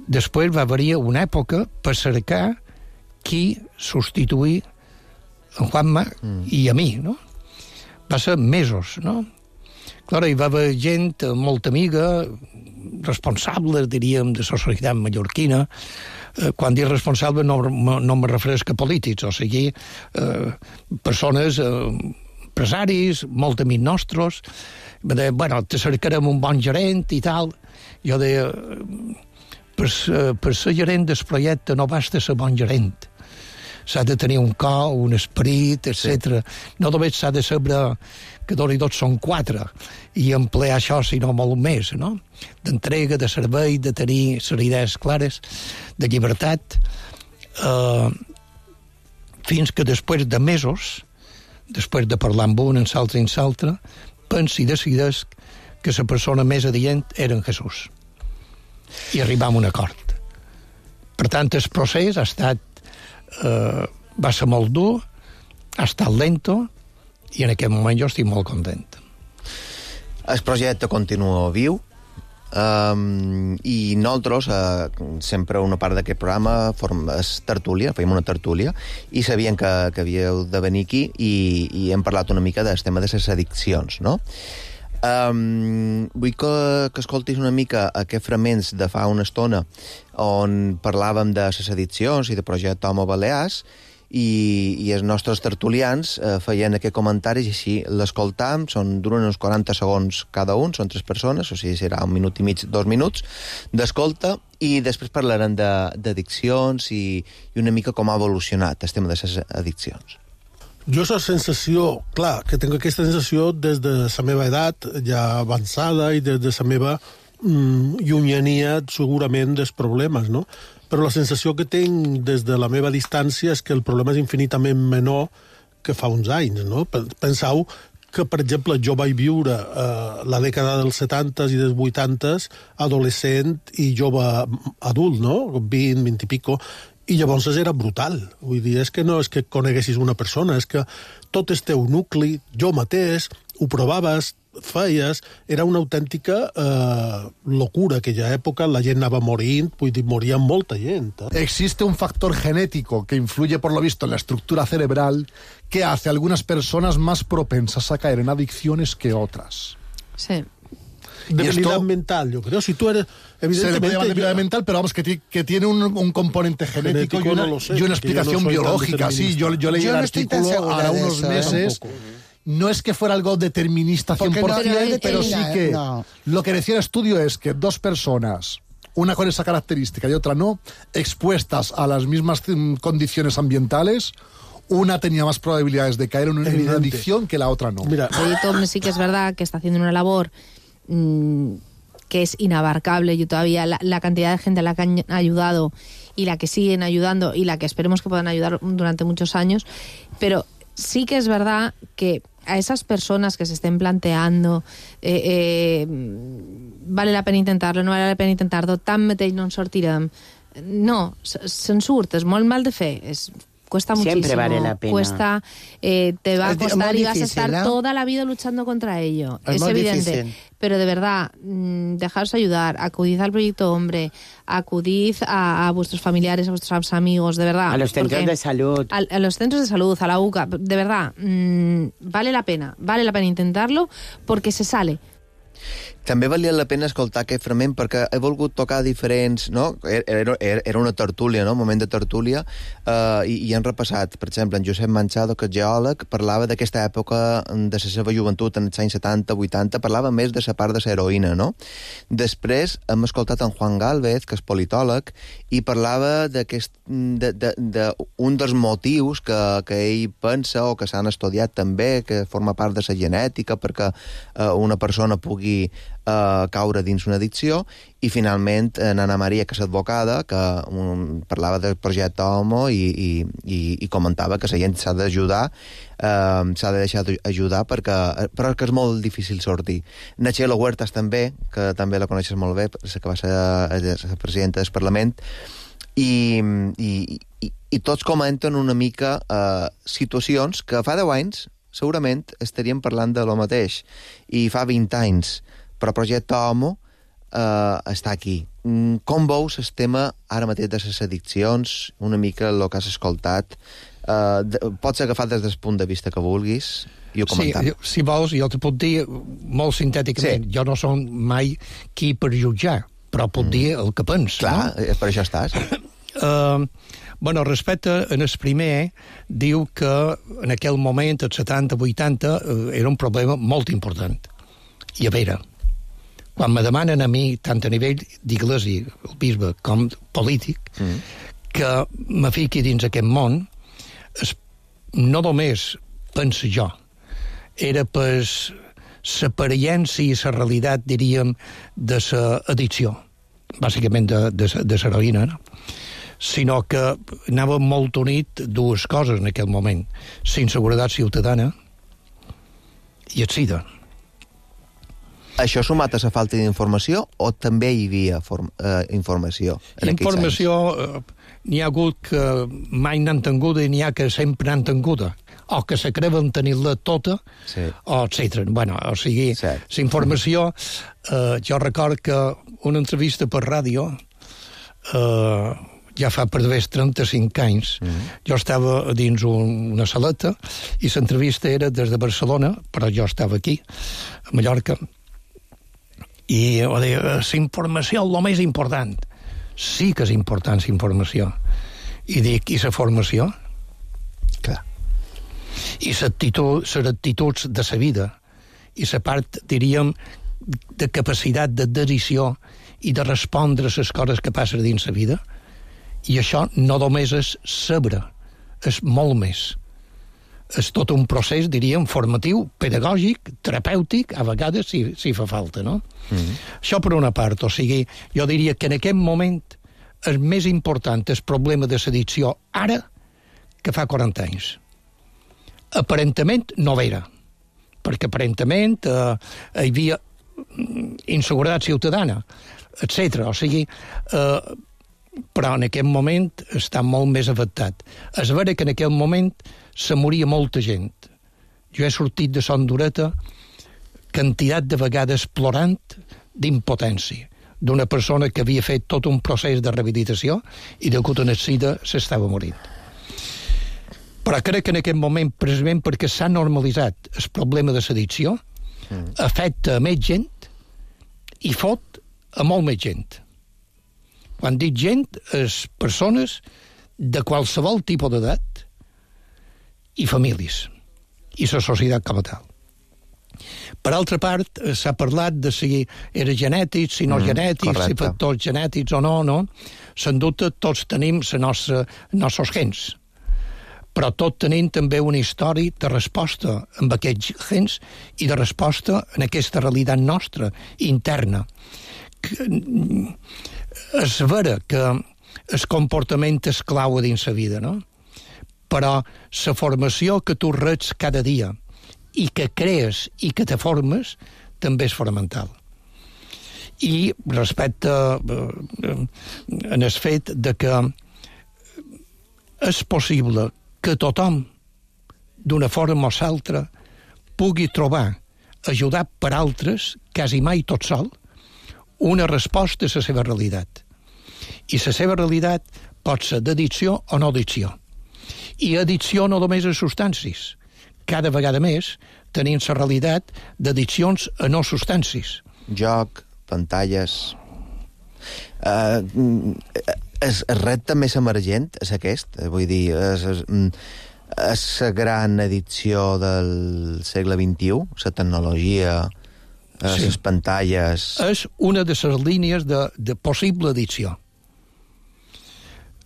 després va haver-hi una època per cercar qui substituir en Juanma mm. i a mi, no? Va ser mesos, no? Clar, hi va haver gent molt amiga, responsable, diríem, de la societat mallorquina. Eh, quan dic responsable no, no me refereix a polítics, o sigui, eh, persones, eh, empresaris, molt amics nostres. Va dir, bueno, te cercarem un bon gerent i tal. Jo deia, per, per ser gerent del projecte no basta ser bon gerent. S'ha de tenir un cor, un esperit, etcètera. Sí. No només s'ha de saber que dos i dos són quatre i emplear això, sinó molt més, no? D'entrega, de servei, de tenir les idees clares, de llibertat, eh, fins que després de mesos, després de parlar amb un, en l'altre i en l'altre, pensi i decideix que la persona més adient era en Jesús. I arribam a un acord. Per tant, el procés ha estat eh, va ser molt dur, ha estat lento, i en aquest moment jo estic molt content. El projecte continua viu, um, i nosaltres, uh, sempre una part d'aquest programa form, és tertúlia, fèiem una tertúlia, i sabien que, que havíeu de venir aquí, i, i hem parlat una mica del tema de les addiccions, no? Um, vull que, que escoltis una mica aquests fragments de fa una estona on parlàvem de les addiccions i de projecte Home Balears, i, i els nostres tertulians eh, feien aquest comentari i així l'escoltam, són duren uns quaranta segons cada un, són tres persones, o sigui, serà un minut i mig, dos minuts d'escolta, i després parlarem d'addiccions i, i una mica com ha evolucionat el tema de les addiccions. Jo la sensació, clar, que tinc aquesta sensació des de la meva edat ja avançada i des de la meva mm, llunyania segurament dels problemes, no? Però la sensació que tinc des de la meva distància és que el problema és infinitament menor que fa uns anys, no? Penseu que, per exemple, jo vaig viure eh, la dècada dels setantes i dels vuitantes adolescent i jove adult, no? vint, vint i pico, i llavors era brutal. Vull dir, és que no és que coneguessis una persona, és que tot el teu nucli, jo mateix, ho provaves, feies, era una autèntica eh, locura aquella època, la gent anava morint, vull dir, moria molta gent. Eh? Existe un factor genético que influye, por lo visto, en la estructura cerebral que hace a algunas personas más propensas a caer en adicciones que otras. Sí. Debilidad esto, mental, yo creo. Si tú eres, evidentemente... Se le puede llamar debilidad yo, mental, pero vamos, que, que tiene un, un componente genético, genético y, una, no sé, y una explicación no biológica. Sí, yo, yo leí yo el no artículo a unos eso, meses... Tampoco. No es que fuera algo determinista cien por ciento, no, pero sí que no. Lo que decía el estudio es que dos personas, una con esa característica y otra no, expuestas a las mismas condiciones ambientales, una tenía más probabilidades de caer en una, en una adicción que la otra no. Mira, oye, Tom, sí que es verdad que está haciendo una labor mmm, que es inabarcable. Yo todavía, la, la cantidad de gente a la que han ayudado y la que siguen ayudando y la que esperemos que puedan ayudar durante muchos años, pero sí que es verdad que a esas personas que se estén planteando eh, eh, vale la pena intentar-lo, no vale la pena intentar-lo, tant mateix no en sortirem. No, se'n surt, és molt mal de fer, és... Cuesta muchísimo. Siempre vale la pena. Cuesta, eh, te va a costar y vas difícil, a estar ¿no? toda la vida luchando contra ello. Es, es evidente. Difícil. Pero de verdad, mmm, dejaros ayudar, acudid al Proyecto Hombre, acudid a, a vuestros familiares, a vuestros amigos, de verdad. A los centros de salud. A, a los centros de salud, a la U C A. De verdad, mmm, vale la pena, vale la pena intentarlo porque se sale. També valia la pena escoltar aquest fragment perquè he volgut tocar diferents... No? Era, era una tertúlia, no? Un moment de tertúlia, eh, i, i han repassat, per exemple, en Josep Manchado, que és geòleg, parlava d'aquesta època de la seva joventut, en els anys setanta, vuitanta, parlava més de la part de l'heroïna, no? Després hem escoltat en Juan Gálvez, que és politòleg, i parlava d'aquest, de, de, de un dels motius que, que ell pensa, o que s'han estudiat també, que forma part de la genètica, perquè eh, una persona pugui Uh, caure dins una addicció, i finalment en Ana Maria, que és advocada, que um, parlava del projecte Homo i, i, i, i comentava que la gent s'ha d'ajudar, uh, s'ha de deixar ajudar perquè, però que és molt difícil sortir. Nachelo Huertas també, que també la coneixes molt bé, que va ser la presidenta del Parlament, i, i, i, i tots comenten una mica uh, situacions que fa deu anys segurament estaríem parlant de lo mateix, i fa vint anys, però el projecte Homo eh, està aquí. Com veus el tema ara mateix de les addiccions, una mica el que has escoltat? Eh, de, pots agafar des del punt de vista que vulguis i ho comentar. Sí, si vols, jo te puc dir molt sintèticament. Sí. Jo no som mai qui per jutjar, però puc mm. dir el que pens. Clar, no? Per això estàs. Uh, bueno, respecte en el primer, diu que en aquell moment, els setanta vuitanta, uh, era un problema molt important. I a veure, quan me demanen a mi, tant a nivell d'Iglésia, el bisbe, com polític, mm. que me fiqui dins aquest món, es, no només penso jo, era per l'aparença i la realitat, diríem, de l'addicció, bàsicament de, de, de l'heroïna, no? Sinó que anava molt unit dues coses en aquell moment, la inseguretat ciutadana i el SIDA. Això sumat a la falta d'informació o també hi havia form, eh, informació? En informació eh, n'hi ha hagut que mai n'han tinguda i n'hi ha que sempre n'han tinguda, o que se creuen tenir-la tota, sí. o etcètera. Bueno, o sigui, la informació, eh, jo record que una entrevista per ràdio, eh, ja fa per d'haver trenta-cinc anys, mm. jo estava dins un, una saleta i l'entrevista era des de Barcelona, però jo estava aquí, a Mallorca, i o deia, la informació és el més important. Sí que és important la informació. I dic, i la formació? I les actituds de la vida, i la part, diríem, de capacitat de decisió i de respondre a les coses que passen dins la vida, i això no només és saber, és molt més. És tot un procés, diríem, formatiu, pedagògic, terapèutic, a vegades si, si fa falta, no? Mm-hmm. Això per una part, o sigui, jo diria que en aquest moment el més important és el problema de l'addicció ara que fa quaranta anys. Aparentament no vera, perquè aparentament eh, hi havia inseguretat ciutadana, etcètera. O sigui, eh, però en aquest moment està molt més afectat. És vera que en aquest moment se moria molta gent. Jo he sortit de Son Dureta quantitat de vegades plorant d'impotència d'una persona que havia fet tot un procés de rehabilitació i degut a una sida s'estava morint. Però crec que en aquest moment, precisament perquè s'ha normalitzat el problema de l'addicció, mm. afecta a més gent i fot a molt més gent. Quan dic gent, és persones de qualsevol tipus d'edat i famílies, i la societat com a tal. Per altra part, s'ha parlat de si era genètic, si no mm, genètic, correcte. Si factors genètics o no, no. Se'n dubte, tots tenim els nostres, nostres gens. Però tot tenim també una història de resposta amb aquests gens i de resposta en aquesta realitat nostra, interna. És vera que el comportament és clau dins la vida, no? Però la formació que tu reps cada dia i que crees i que te formes també és fonamental. I respecte en el fet de que és possible que tothom, d'una forma o l'altra, pugui trobar, ajudat per altres, quasi mai tot sol, una resposta a la seva realitat. I la seva realitat pot ser d'addicció o no addicció. I addicció no només a substàncies. Cada vegada més tenim la realitat d'addiccions a no substàncies. Joc, pantalles... Uh, és el repte més emergent, és aquest, vull dir, és, és, és la gran addicció del segle vint-i-u, la tecnologia, les sí. pantalles... És una de les línies de, de possible addicció.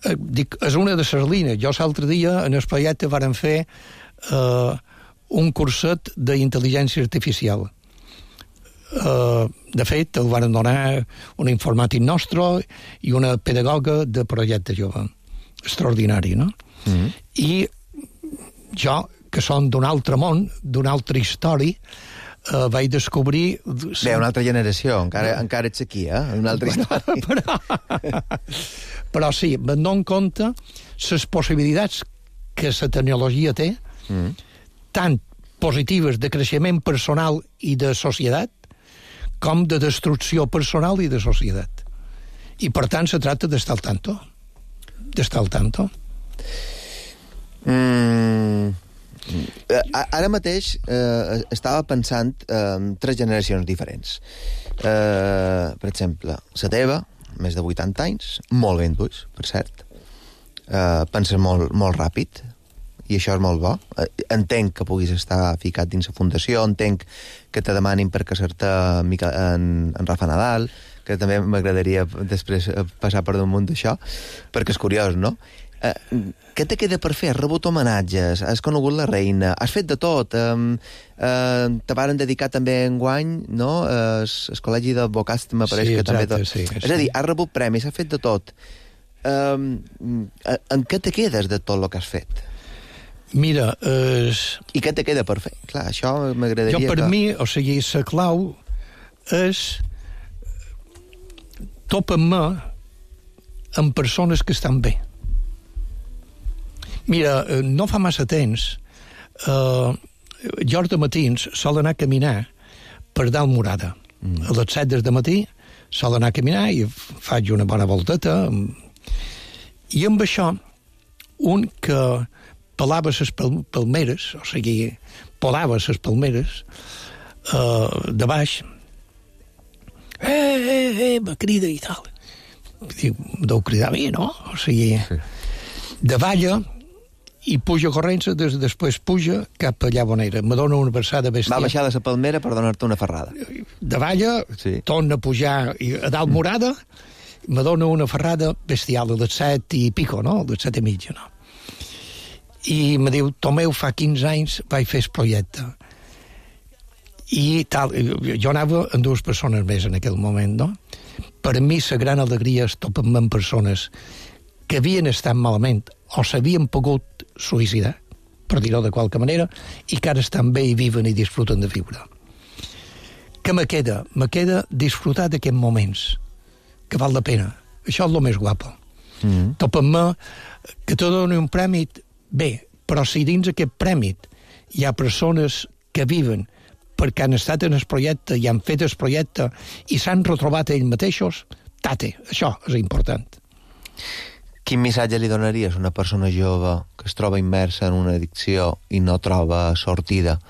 Eh, dic, és una de les línies. Jo l'altre dia, en el projecte, vàrem fer eh, un curset d'intel·ligència artificial. Uh, de fet, el van donar un informàtic nostre i una pedagoga de projecte jove. Extraordinari, no? Mm-hmm. I jo, que som d'un altre món, d'una altra història, uh, vaig descobrir... Bé, una altra generació, encara, no. encara ets aquí, eh? Una altra història. però, però sí, me'n dono compte les possibilitats que la tecnologia té, mm. tant positives de creixement personal i de societat, com de destrucció personal i de societat. I, per tant, se tracta d'estar al tanto. D'estar al tanto. Mm, ara mateix eh, estava pensant en eh, tres generacions diferents. Eh, per exemple, la teva, més de vuitanta anys, molt ben tuix, per cert. Eh, penses molt, molt ràpid, i això és molt bo. Entenc que puguis estar ficat dins la fundació, entenc que te demanin per casar-te en, en Rafa Nadal, que també m'agradaria després passar per damunt d'això, perquè és curiós, no? Eh, què te queda per fer? Has rebut homenatges, has conegut la reina, has fet de tot. Eh, eh, te varen dedicar també enguany, no? El, el col·legi d'advocats m'apareix sí, que també... Tot... Sí, és a dir, has rebut premis, has fet de tot. Eh, en què te quedes de tot el que has fet? Mira, és... I què te queda per fer? Clar, això m'agradaria... Jo, per que... mi, o sigui, la clau és topa-me amb persones que estan bé. Mira, no fa massa temps, eh, jo de matins sol anar a caminar per dalt Morada. Mm. A les set del matí sol anar a caminar i faig una bona volteta. I amb això, un que pelava les palmeres, o sigui, polava les palmeres uh, de baix, eh, eh, eh, me crida i tal. Diu, deu cridar a mi, no? O sigui, sí. Davalla i puja corrents, des, després puja cap allà on era. Me dona una versada bestial. Va baixar de la palmera per donar-te una ferrada. Davalla, sí. Torna a pujar a dalt morada, me dona una ferrada bestial, a les set i pico, no? A les set i mitja, no? I me diu, Tomeu, fa quinze anys vaig fer el projecte. I tal, jo anava amb dues persones més en aquell moment, no? Per mi la gran alegria és topar-me amb persones que havien estat malament o s'havien pogut suïcidar, per dir-ho de qualque manera, i que ara estan bé i viven i disfruten de viure. Què me queda? Me queda disfrutar d'aquests moments, que val la pena. Això és el més guapo. Mm. Topar-me que te doni un premi, bé, però si dins aquest premi hi ha persones que viven perquè han estat en el projecte i han fet el projecte i s'han retrobat ells mateixos, tate, això és important. Quin missatge li donaries a una persona jove que es troba immersa en una addicció i no troba sortida,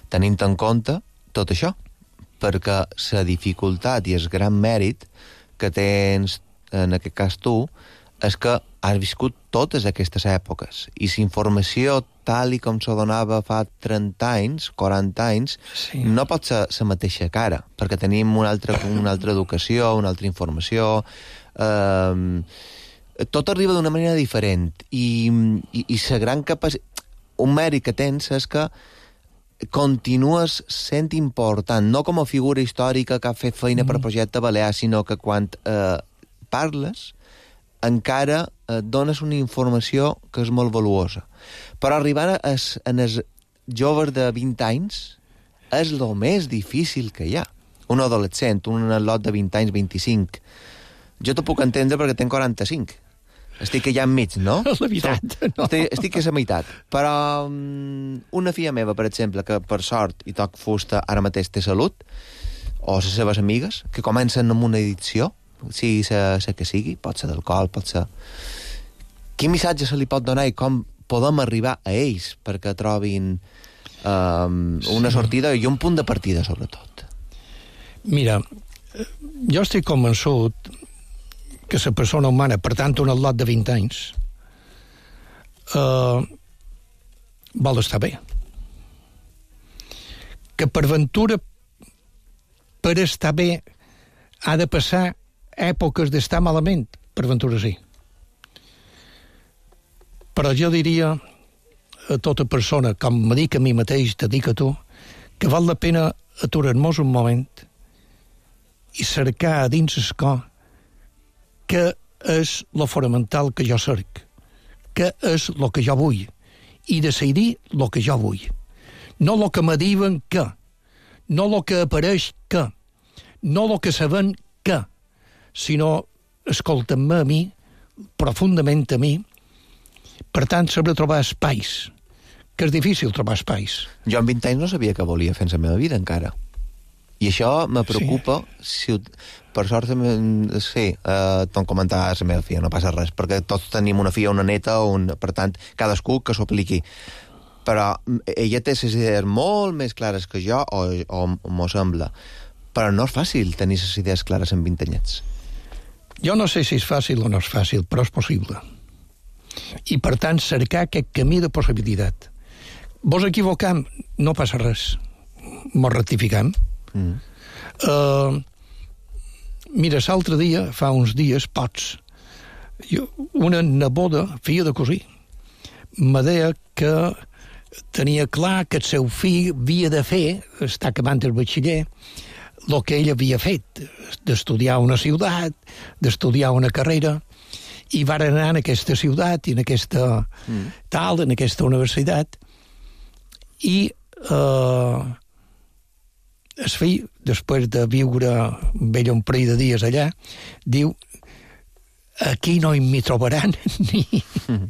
tenint en compte tot això? Perquè la dificultat i el gran mèrit que tens, en aquest cas tu, és que has viscut totes aquestes èpoques i la informació tal i com se donava fa trenta anys, quaranta anys, sí. No pot ser la mateixa cara, perquè tenim una altra, una altra educació, una altra informació... Eh, tot arriba d'una manera diferent i, i, i la gran capacitat, un mèrit que tens és que continues sent important, no com a figura històrica que ha fet feina mm. per projecte balear, sinó que quan eh, parles encara eh, dones una informació que és molt valuosa. Però arribar a es, en els joves de vint anys és el més difícil que hi ha. Un adolescent, un lot de vint anys, vint-i-cinc. Jo t'ho puc entendre perquè tenc quaranta-cinc. Estic allà enmig, no? La veritat, no. Estic, estic a la meitat. Però um, una filla meva, per exemple, que per sort i toc fusta ara mateix té salut, o les seves amigues, que comencen amb una addicció, sigui la que sigui, pot ser d'alcohol, pot ser... Quin missatge se li pot donar i com podem arribar a ells perquè trobin um, una sortida i un punt de partida, sobretot? Mira, jo estic convençut que la persona humana, per tant, un atlot de vint anys, eh, vol estar bé. Que per ventura, per estar bé, ha de passar èpoques d'estar malament, per ventura sí. Però jo diria a tota persona, com me dic a mi mateix, te dic a tu, que val la pena aturar-nos un moment i cercar a dins el cor què és lo fonamental que jo cerc, què és lo que jo vull, i decidir lo que jo vull. No lo que me diuen que, no lo que apareix que, no lo que saben que, sinó escolta'm-me a mi, profundament a mi, per tant, saber trobar espais, que és difícil trobar espais. Jo amb vint anys no sabia què volia fer en la meva vida, encara. I això me preocupa, sí. si, per sort, sí, eh, t'ho comentava la meva filla, no passa res, perquè tots tenim una filla, una neta, un, per tant, cadascú que s'ho apliqui. Però ella té les idees molt més clares que jo, o, o m'ho sembla. Però no és fàcil tenir les idees clares en vint anyets. Jo no sé si és fàcil o no és fàcil, però és possible. I, per tant, cercar aquest camí de possibilitat. Vos equivocam, no passa res. Mos rectificam. Mm. Uh, mira, l'altre dia, fa uns dies, pots, jo, una neboda, filla de cosí, me deia que tenia clar que el seu fill havia de fer, està acabant el batxiller, el que ell havia fet, d'estudiar una ciutat, d'estudiar una carrera, i va anar en aquesta ciutat i en aquesta mm. tal, en aquesta universitat, i eh, el fill, després de viure amb ell un parell de dies allà, diu, aquí no m'hi trobaran ni... Mm.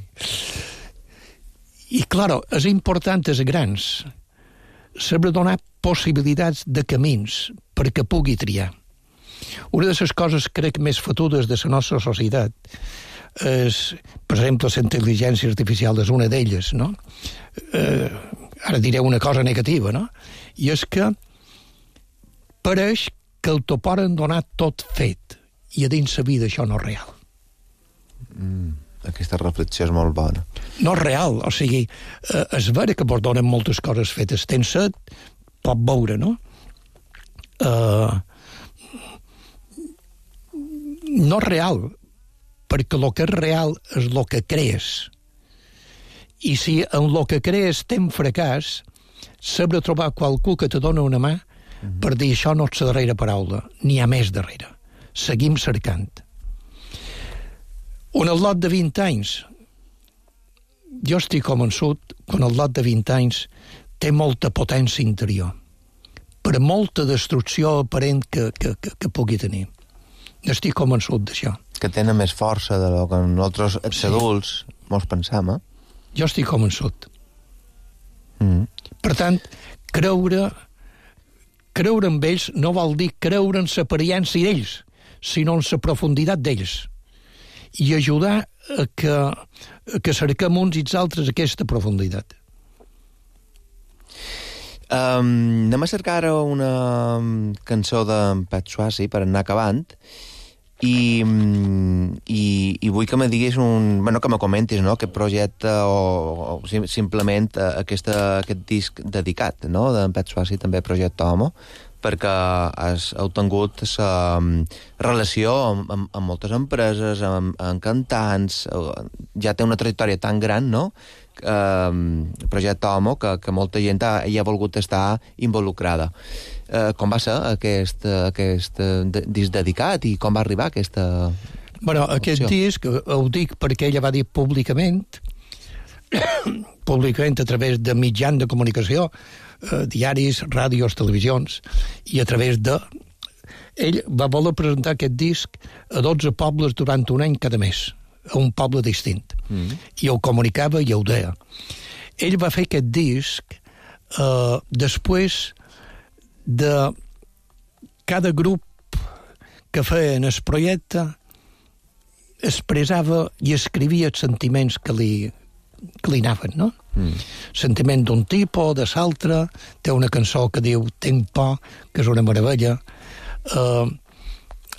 I, claro, és important als grans saber donar possibilitats de camins perquè pugui triar. Una de les coses, crec, més fotudes de la nostra societat és, per exemple, la intel·ligència artificial és una d'elles, no? Eh, ara diré una cosa negativa, no? I és que pareix que el t'ho poden donar tot fet i a dins la vida això no és real. Mm. aquesta reflexió és molt bona. No és real, o sigui, eh, és vera que vos donen moltes coses fetes. Tens set, pot veure, no? Eh, no és real, perquè el que és real és el que crees. I si en el que crees tens fracàs, sabrà trobar qualcú que te dona una mà mm-hmm. per dir això no és la darrera paraula, n'hi ha més darrere. Seguim cercant. Un lot de vint anys, jo estic convençut que un lot de vint anys té molta potència interior, per molta destrucció aparent que, que, que, que pugui tenir. Estic convençut d'això. Que tenen més força de lo que nosaltres, els sí. adults, mos pensam, eh? Jo estic convençut. Mm. Per tant, creure, creure en ells no vol dir creure en l'apariència d'ells, sinó en la profunditat d'ells. I ajudar a que, a que cerquem uns i els altres aquesta profunditat. Um, anem a cercar ara una cançó d'en Pet Swasey per anar acabant i, i, i vull que me diguis un... Bueno, que me comentis, no?, aquest projecte o, o simplement aquesta, aquest disc dedicat, no?, d'en Pet Swasey, també Projecte Homo, perquè has, heu tingut la relació amb, amb, amb moltes empreses, amb, amb cantants, ja té una trajectòria tan gran, no?, eh, Projecte Homo, que, que molta gent ha, hi ha volgut estar involucrada. Eh, com va ser aquest, aquest disc dedicat i com va arribar aquesta... Bueno, aquest disc ho dic perquè ella va dir públicament, públicament a través de mitjans de comunicació, eh, diaris, ràdios, televisions, i a través de... Ell va voler presentar aquest disc a dotze pobles durant un any cada mes, a un poble distint. Mm. I ho comunicava i ho deia. Ell va fer aquest disc eh, després de cada grup que feia en el projecte expressava i escrivia els sentiments que li, que li anaven, no? Mm. Sentiment d'un tipus, de l'altre, té una cançó que diu Tenc por, que és una meravella, eh,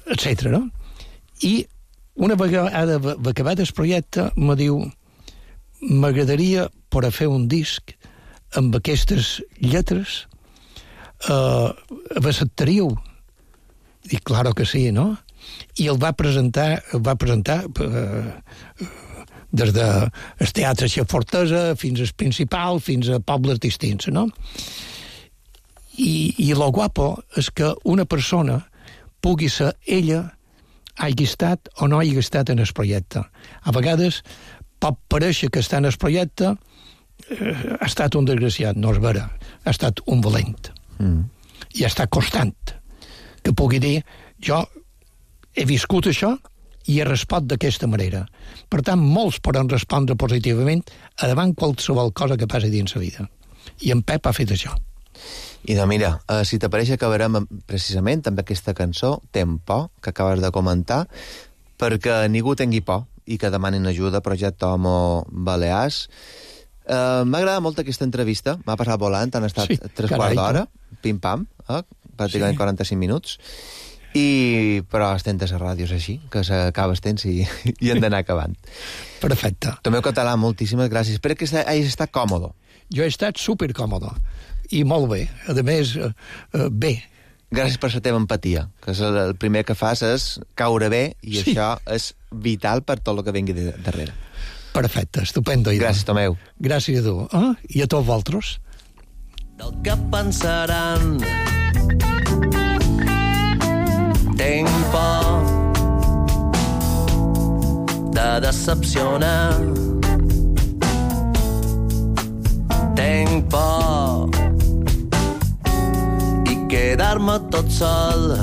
etcètera, no? I una vegada acabat el projecte me diu m'agradaria poder fer un disc amb aquestes lletres, eh, acceptaríeu? Dic, claro que sí, no? I el va presentar, el va presentar eh, des del teatre de Fortesa fins al principal, fins a pobles distints, no? I, i lo guapo és que una persona pugui ser ella, hagi estat o no hagi estat en el projecte. A vegades pot parèixer que està en el projecte, eh, ha estat un desgraciat, no és vera, ha estat un valent. Mm. I està constant que pugui dir, jo he viscut això i he respost d'aquesta manera. Per tant, molts poden respondre positivament a davant qualsevol cosa que passi dins la vida. I en Pep ha fet això. I de mira, eh, si t'apareix acabarem precisament amb aquesta cançó, Tenc por, que acabes de comentar, perquè ningú tingui por i que demanin ajuda, Projecte Homo Balears. Eh, M'ha agradat molt aquesta entrevista, m'ha passat volant, han estat sí, tres quarts d'hora, pim-pam, eh, pràcticament sí. quaranta-cinc minuts, i però estem a les ràdios així, que s'acaba el temps i, i hem d'anar acabant. Perfecte. Tomeu Català, moltíssimes gràcies. Espero que hagis estat còmode. Jo he estat supercòmode, i molt bé. A més, eh, eh, bé. Gràcies per la teva empatia, que és el primer que fas és caure bé, i sí. això és vital per tot el que vingui de darrere. Perfecte, estupendo. Gràcies, Tomeu. Gràcies a tu. Ah, i a tots vosaltres. Del que pensaran... Tenc por de decepcionar. Tenc por i quedar-me tot sol.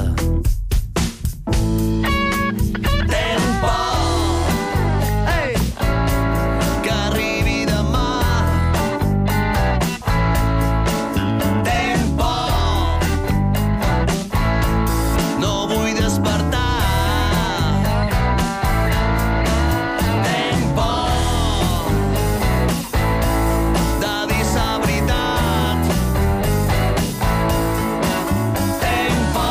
Tenc por, hey, que arribi demà. Tenc por, no vull despertar. Tenc por de dir la veritat. Tenc por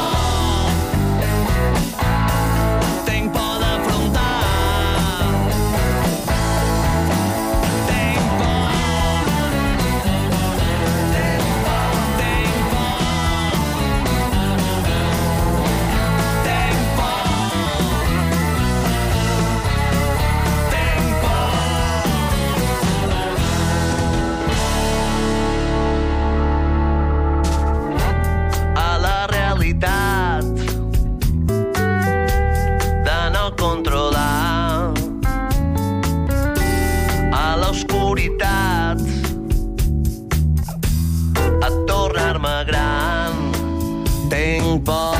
ping-pong.